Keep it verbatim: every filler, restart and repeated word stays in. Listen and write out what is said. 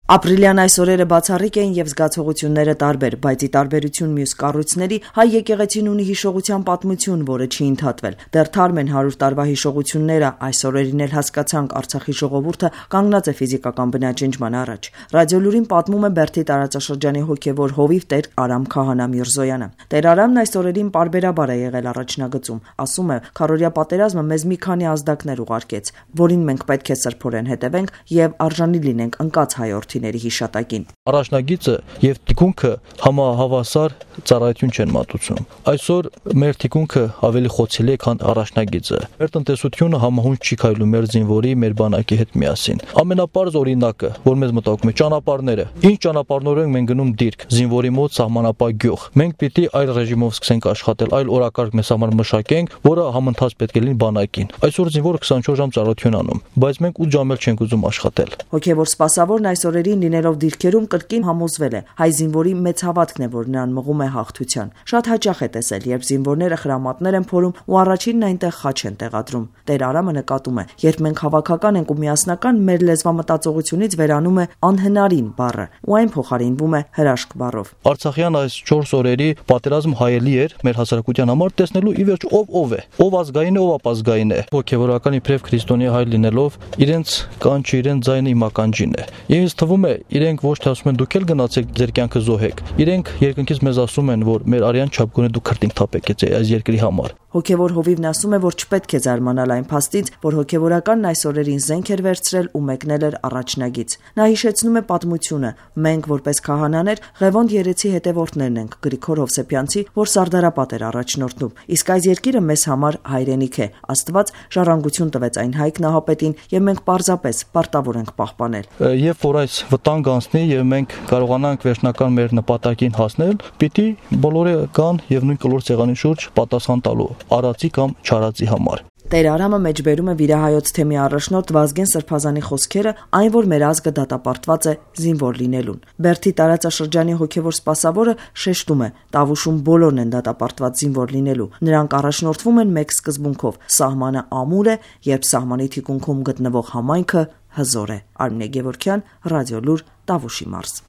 Ապրիլյան այս օրերը բացառիկ էին եւ զգացողությունները տարբեր, բայց ի տարբերություն մյուս կառույցների, հայ եկեղեցին ունի հիշողության պատմություն, որը չի ընդհատվել։ Դեռ թարմ են հարյուր տարվա հիշողությունները, այս օրերին էլ հասկացանք, Արցախի ժողովուրդը կանգնած է ֆիզիկական բնաջնջման առաջ։ Ռադիոլուրին պատմում է Բերդի տարածաշրջանի հոգևոր հովիվ Տեր Արամ Քահանա Միրզոյանը։ Տեր Արամն այս օրերին պարբերաբար է եղել առաջնագծում, ասում է, քարորյա պատերազմը մեզ մի քանի ազդակներ ուղարկեց, որին մենք պետք է սրբորեն հետևենք եւ արժանի լինենք ընկած հայորդի հիշատակին։ Առաջնագիծը եւ թիկունքը համահավասար ծառայություն չեն մատուցում։ Այսօր մեր թիկունքը ավելի խոցելի է, քան առաջնագիծը։ Մեր տնտեսությունը համահունչ չի քայլում մեր զինվորի, մեր բանակի հետ միասին։ Ամենապարզ օրինակը, որ մեզ մտածում է, ճանապարհները։ Ինչ ճանապարհներով ենք մենք գնում դիրք, զինվորի մոտ սահմանապահ գյուղ։ Մենք պիտի այլ ռեժիմով սկսենք աշխատել, այլ օրակարգ մեզ համար մշակենք, որը համընթաց պետք է լինի բանակին։ Այսօր զինվորը քսանչորս ժամ ծառայություն անում, բայց մենք ութ ժամ էլ չենք ուզում աշխատել։ Հոգևոր սպասավորն այս օրերին լինելով դիրքերում կրկին համոզվել է, հայ զինվորի մեծ հավատքն է, որ նրան մղում է հաղթության։ Շատ հաճախ է տեսել, երբ զինվորները խրամատներ են փորում ու առաջինն այնտեղ խաչ են տեղադրում։ Տեր Արամը նկատում է, երբ մենք հավաքական ենք ու միասնական, մեր լեզվամտածողությունից վերանում է անհնարին բառը ու այն փոխարինվում է հրաշք բառով։ Արցախյան այս չորս օրերի պատերազմ հայելի էր մեր հասարակության համար տեսնելու ի վերջ ով ով է, ով ազգային է, ով ապազգային է։ Հոգևորական իբրև քրիստոնյա հայ լինելով իրենց կանչը, իրենց ձայնը իմ ականջին է։ Ինձ թվում է իրենք ոչ թե ասում են դուք էլ գնացեք ձեր կյանքը զոհեք։ Իրենք երկնքից մեզ ասում են, որ մեր արյան չափ գոնե դուք քրտինք թափեք այս երկրի համար։ Հոգևոր հովիվն ասում է, որ չպետք է զարմանալ այն փաստից, որ հոգևորականն այս օրերին զենք էր վերցրել ու մեկնել էր առաջնագիծ։ Նա հիշեցնում է պատմությունը. մենք որպես քահանաներ Ղևոնդ երեցի հետևորդներն ենք, Գրիգոր Հովսեփյանցի, որ Սարդարապատ էր առաջնորդնում։ Իսկ այս երկիրը մեզ համար հայրենիք է։ Աստված ժառանգություն տվեց այն հայք նահապետին եւ մենք պարզապես պարտավոր ենք պահպանել։ Երբ որ այս վտանգ անցնի եւ մենք կարողանանք վերջնական մեր նպատակին հասնել, պիտի բոլորը գան եւ նույն կլոր ցեղանի շուրջ պատասխան տալու արածի կամ չարածի համար։ Տեր Արամը մեջբերում է վիրահայոց թեմի առաջնորդ Վազգեն Սրբազանի խոսքերը, այն որ մեր ազգը դատապարտված է զինվոր լինելուն։ Բերդի տարածաշրջանի հոգևոր սպասավորը շեշտում է, Տավուշում բոլորն են դատապարտված զինվոր լինելու։ Նրանք առաջնորդվում են մեկ սկզբունքով՝ սահմանը ամուր է, երբ սահմանի թիկունքում գտնվող համայնքը հզոր է։ Արմինե Գևորգյան, Ռադիոլուր, Տավուշի մարզ։